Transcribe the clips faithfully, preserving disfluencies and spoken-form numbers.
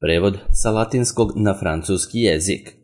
Prevod sa latinskog na francuski jezik.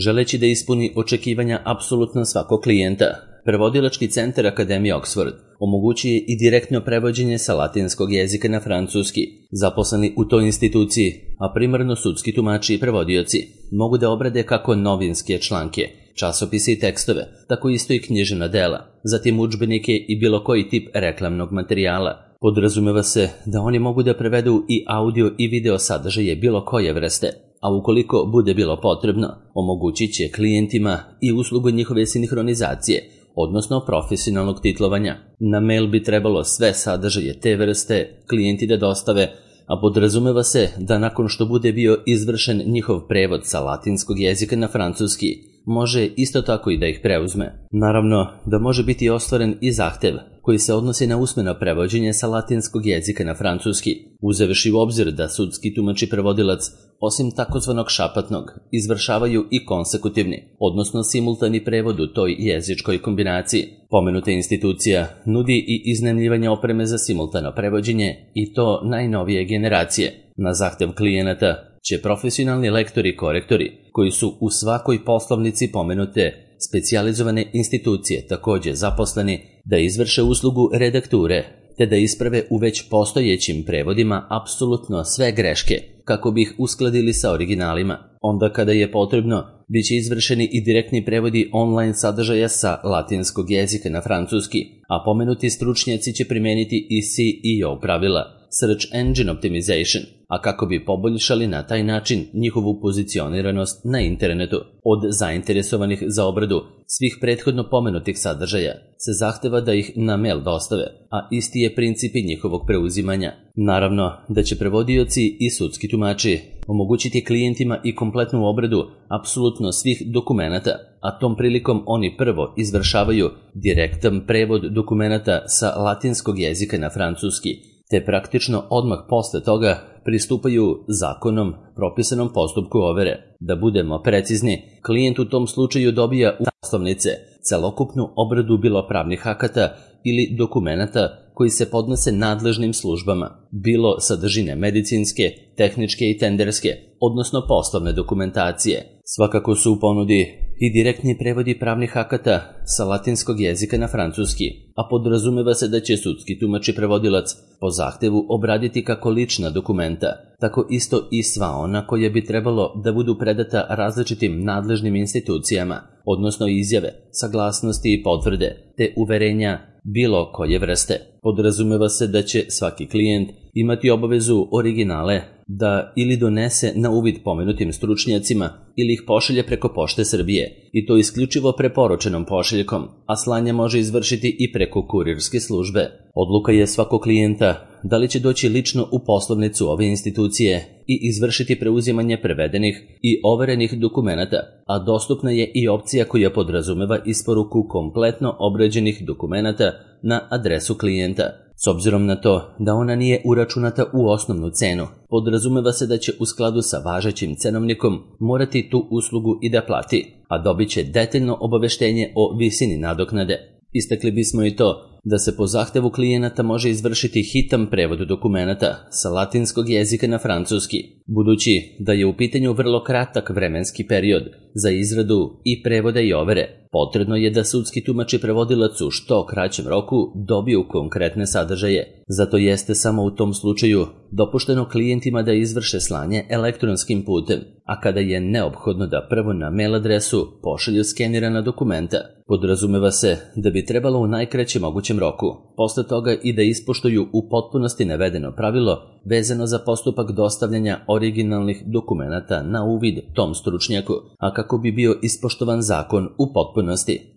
Želeći da ispuni očekivanja apsolutno svakog klijenta, prevodilački centar Akademije Oxford omogućuje i direktno prevođenje sa latinskog jezika na francuski. Zaposleni u toj instituciji, a primarno sudski tumači i prevodioci, mogu da obrade kako novinske članke, časopise i tekstove, tako isto i književna dela, zatim udžbenike i bilo koji tip reklamnog materijala. Podrazumeva se da oni mogu da prevedu i audio i video sadržaje bilo koje vrste, a ukoliko bude bilo potrebno, omogućit će klijentima i uslugu njihove sinhronizacije, odnosno profesionalnog titlovanja. Na mail bi trebalo sve sadržaje te vrste klijenti da dostave, a podrazumeva se da nakon što bude bio izvršen njihov prevod sa latinskog jezika na francuski, može isto tako i da ih preuzme. Naravno da može biti ostvaren i zahtev koji se odnosi na usmeno prevođenje sa latinskog jezika na francuski, uzevši u obzir da sudski tumač i prevodilac, osim takozvanog šapatnog, izvršavaju i konsekutivni, odnosno simultani prevod u toj jezičkoj kombinaciji. Pomenuta institucija nudi i iznajmljivanje opreme za simultano prevođenje i to najnovije generacije. Na zahtev klijenata će profesionalni lektori i korektori, koji su u svakoj poslovnici pomenute specijalizovane institucije takođe zaposleni, da izvrše uslugu redakture, te da isprave u već postojećim prevodima apsolutno sve greške, kako bi ih uskladili sa originalima. Onda kada je potrebno, bit će izvršeni i direktni prevodi online sadržaja sa latinskog jezika na francuski, a pomenuti stručnjaci će primeniti i C E O pravila, Search Engine Optimization, a kako bi poboljšali na taj način njihovu pozicioniranost na internetu. Od zainteresovanih za obradu svih prethodno pomenutih sadržaja se zahteva da ih na mail dostave, a isti je princip i njihovog preuzimanja. Naravno da će prevodioci i sudski tumači omogućiti klijentima i kompletnu obradu apsolutno svih dokumenata, a tom prilikom oni prvo izvršavaju direktan prevod dokumenata sa latinskog jezika na francuski, te praktično odmah posle toga pristupaju zakonom propisanom postupku overe. Da budemo precizni, klijent u tom slučaju dobija u poslovnice celokupnu obradu bilo pravnih akata ili dokumenata koji se podnose nadležnim službama, bilo sadržine medicinske, tehničke i tenderske, odnosno poslovne dokumentacije. Svakako su u ponudi i direktni prevodi pravnih akata sa latinskog jezika na francuski, a podrazumeva se da će sudski tumač i prevodilac po zahtevu obraditi kako lična dokumenta, tako isto i sva ona koja bi trebalo da budu predata različitim nadležnim institucijama, odnosno izjave, saglasnosti i potvrde, te uverenja bilo koje vrste. Podrazumeva se da će svaki klijent imati obavezu originale da ili donese na uvid pomenutim stručnjacima ili ih pošalje preko Pošte Srbije, i to isključivo preporučenom pošiljkom, a slanje može izvršiti i preko kurirske službe. Odluka je svakog klijenta da li će doći lično u poslovnicu ove institucije i izvršiti preuzimanje prevedenih i overenih dokumenata, a dostupna je i opcija koja podrazumeva isporuku kompletno obrađenih dokumenata na adresu klijenta. S obzirom na to da ona nije uračunata u osnovnu cenu, podrazumeva se da će u skladu sa važećim cenovnikom morati tu uslugu i da plati, a dobit će detaljno obaveštenje o visini nadoknade. Istakli bismo i to da se po zahtevu klijenata može izvršiti hitan prevod dokumenata sa latinskog jezika na francuski, budući da je u pitanju vrlo kratak vremenski period za izradu i prevoda i overe. Potrebno je da sudski tumač i prevodilac u što kraćem roku dobiju konkretne sadržaje. Zato jeste samo u tom slučaju dopušteno klijentima da izvrše slanje elektronskim putem, a kada je neophodno da prvo na mail adresu pošalju skenirana dokumenta, podrazumeva se da bi trebalo u najkraćem mogućem roku, posle toga i da ispoštuju u potpunosti navedeno pravilo vezano za postupak dostavljanja originalnih dokumenata na uvid tom stručnjaku, a kako bi bio ispoštovan zakon u potpunosti.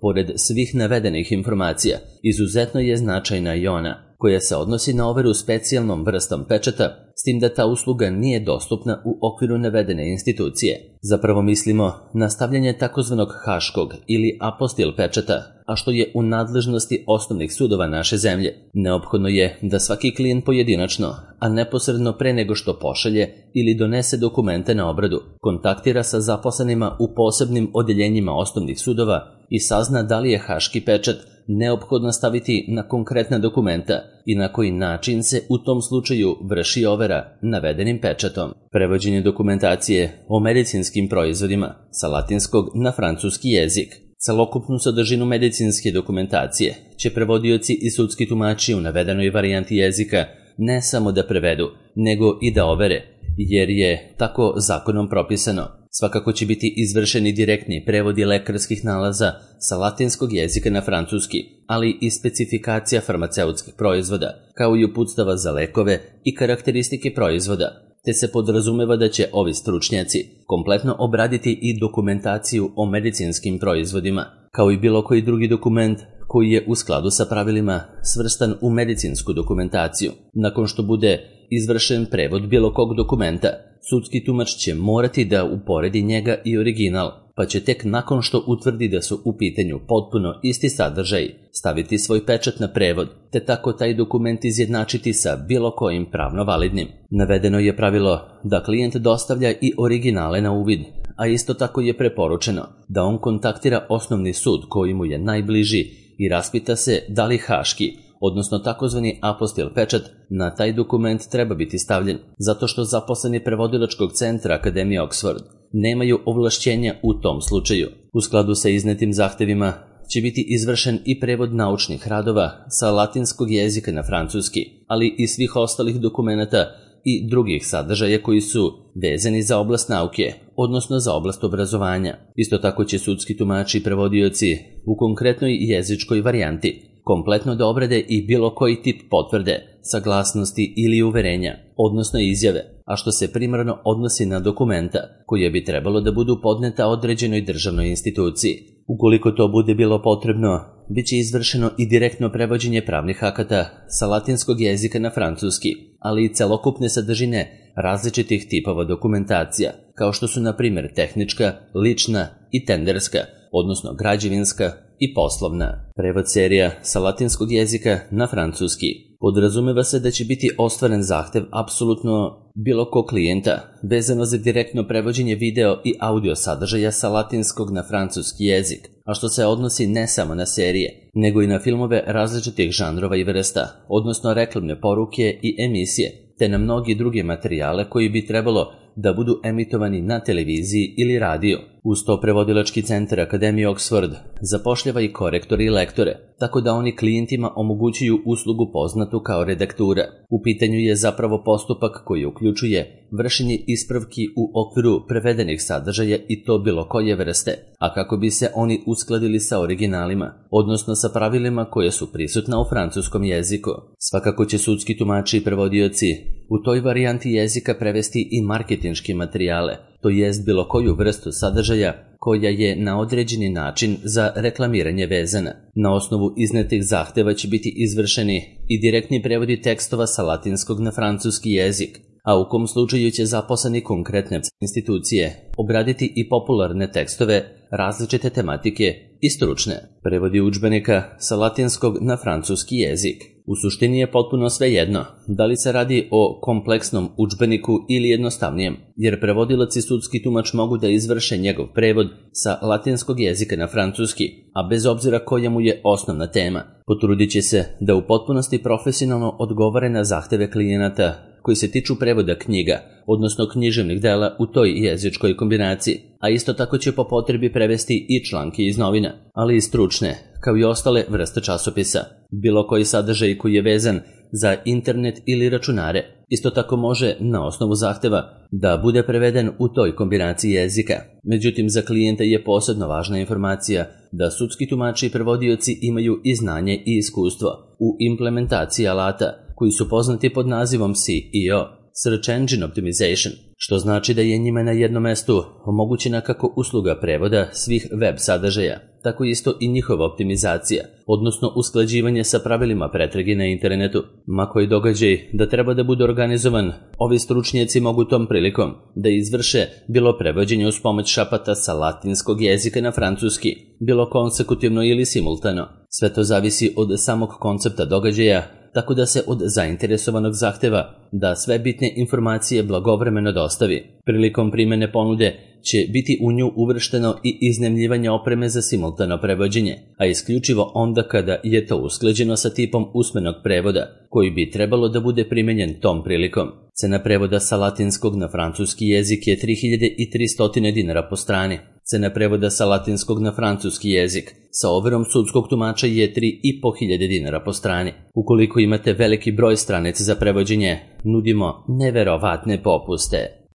Pored svih navedenih informacija, izuzetno je značajna i ona koja se odnosi na overu specijalnom vrstom pečata, s tim da ta usluga nije dostupna u okviru navedene institucije. Zapravo mislimo na stavljanje takozvanog haškog ili apostil pečata, a što je u nadležnosti osnovnih sudova naše zemlje. Neophodno je da svaki klijent pojedinačno, a neposredno pre nego što pošalje ili donese dokumente na obradu, kontaktira sa zaposlenima u posebnim odeljenjima osnovnih sudova i sazna da li je haški pečat neophodno staviti na konkretna dokumenta i na koji način se u tom slučaju vrši overa navedenim pečatom. Prevođenje dokumentacije o medicinskim proizvodima sa latinskog na francuski jezik. Celokupnu sadržinu medicinske dokumentacije će prevodioci i sudski tumači u navedenoj varijanti jezika ne samo da prevedu, nego i da overe, jer je tako zakonom propisano. Svakako će biti izvršeni direktni prevodi lekarskih nalaza sa latinskog jezika na francuski, ali i specifikacija farmaceutskih proizvoda, kao i uputstava za lekove i karakteristike proizvoda, te se podrazumeva da će ovi stručnjaci kompletno obraditi i dokumentaciju o medicinskim proizvodima, kao i bilo koji drugi dokument koji je u skladu sa pravilima svrstan u medicinsku dokumentaciju. Nakon što bude izvršen prevod bilo kog dokumenta, sudski tumač će morati da uporedi njega i original, pa će tek nakon što utvrdi da su u pitanju potpuno isti sadržaj, staviti svoj pečat na prevod, te tako taj dokument izjednačiti sa bilo kojim pravno validnim. Navedeno je pravilo da klijent dostavlja i originale na uvid, a isto tako je preporučeno da on kontaktira osnovni sud koji mu je najbliži i raspita se da li haški, odnosno takozvani apostil pečat, na taj dokument treba biti stavljen, zato što zaposleni prevodilačkog centra Akademije Oxford nemaju ovlašćenja u tom slučaju. U skladu sa iznetim zahtevima će biti izvršen i prevod naučnih radova sa latinskog jezika na francuski, ali i svih ostalih dokumenata i drugih sadržaja koji su vezani za oblast nauke, odnosno za oblast obrazovanja. Isto tako će sudski tumači i prevodioci u konkretnoj jezičkoj varijanti kompletno da obrade i bilo koji tip potvrde, saglasnosti ili uverenja, odnosno izjave, a što se primarno odnosi na dokumenta koje bi trebalo da budu podneta određenoj državnoj instituciji. Ukoliko to bude bilo potrebno, bit će izvršeno i direktno prevođenje pravnih akata sa latinskog jezika na francuski, ali i celokupne sadržine različitih tipova dokumentacija, kao što su na primjer tehnička, lična i tenderska, odnosno građevinska i poslovna. Prevod serija sa latinskog jezika na francuski. Podrazumeva se da će biti ostvaren zahtev apsolutno bilo ko klijenta vezano za direktno prevođenje video i audio sadržaja sa latinskog na francuski jezik, a što se odnosi ne samo na serije, nego i na filmove različitih žanrova i vrsta, odnosno reklamne poruke i emisije, te na mnogi druge materijale koji bi trebalo da budu emitovani na televiziji ili radiju. Uz to prevodilački centar Akademije Oxford zapošljava i korektore i lektore, tako da oni klijentima omogućuju uslugu poznatu kao redaktura. U pitanju je zapravo postupak koji uključuje vršenje ispravki u okviru prevedenih sadržaja i to bilo koje vrste, a kako bi se oni uskladili sa originalima, odnosno sa pravilima koje su prisutna u francuskom jeziku. Svakako će sudski tumači i prevodioci u toj varijanti jezika prevesti i marketinške materijale, to jest bilo koju vrstu sadržaja koja je na određeni način za reklamiranje vezana. Na osnovu iznetih zahteva će biti izvršeni i direktni prevodi tekstova sa latinskog na francuski jezik, a u kom slučaju će zaposleni konkretne institucije obraditi i popularne tekstove, različite tematike i stručne. Prevodi udžbenika sa latinskog na francuski jezik. U suštini je potpuno svejedno da li se radi o kompleksnom udžbeniku ili jednostavnijem, jer prevodilac i sudski tumač mogu da izvrše njegov prevod sa latinskog jezika na francuski, a bez obzira koja mu je osnovna tema. Potrudit će se da u potpunosti profesionalno odgovore na zahteve klijenata koji se tiču prevoda knjiga, odnosno književnih dela u toj jezičkoj kombinaciji, a isto tako će po potrebi prevesti i članke iz novina, ali i stručne, kao i ostale vrste časopisa. Bilo koji sadržaj koji je vezan za internet ili računare, isto tako može, na osnovu zahteva, da bude preveden u toj kombinaciji jezika. Međutim, za klijenta je posebno važna informacija da sudski tumači i prevodioci imaju i znanje i iskustvo u implementaciji alata koji su poznati pod nazivom S E O, Search Engine Optimization, što znači da je njima na jednom mestu omogućena kako usluga prevoda svih web sadržaja, tako isto i njihova optimizacija, odnosno usklađivanje sa pravilima pretrage na internetu. Ma koji događaj da treba da bude organizovan, ovi stručnjaci mogu tom prilikom da izvrše bilo prevođenje uz pomoć šapata sa latinskog jezika na francuski, bilo konsekutivno ili simultano. Sve to zavisi od samog koncepta događaja tako da se od zainteresovanog zahteva da sve bitne informacije blagovremeno dostavi. Prilikom primene ponude će biti u nju uvršteno i iznajmljivanje opreme za simultano prevođenje, a isključivo onda kada je to usklađeno sa tipom usmenog prevoda, koji bi trebalo da bude primenjen tom prilikom. Cena prevoda sa latinskog na francuski jezik je tri hiljade tristo dinara po strani. Cena prevoda sa latinskog na francuski jezik sa overom sudskog tumača je tri hiljade petsto dinara po strani. Ukoliko imate veliki broj stranica za prevođenje, nudimo neverovatne popuste.